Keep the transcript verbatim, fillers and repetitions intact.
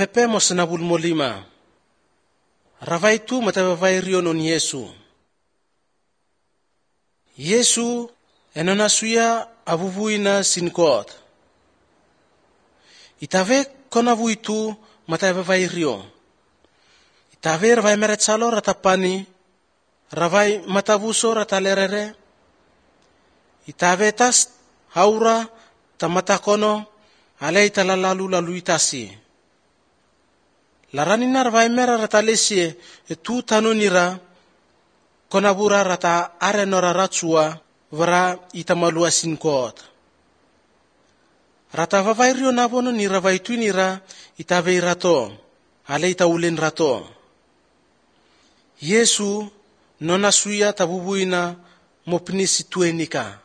pepe mo senabul mo lima. Ravai tu matavavai rio non Yesu. Yesu enona suya avuvuina sinkot. Itave konavu itu matavavai rio. Itave ravai meretsalo ratapani, ravai matavuso ratalerere. Itave tas haura tamatakono alei talalalu lalu itasi. Laranina ravai mera ratalesie etu tanunira konabura rata arenora ratsua vara itamalua sinkot. Rata vavai rio navono ni ravai tuinira itave rato, alei taulen rato. Yesu nona suya tabubuina mopnisi tuenika.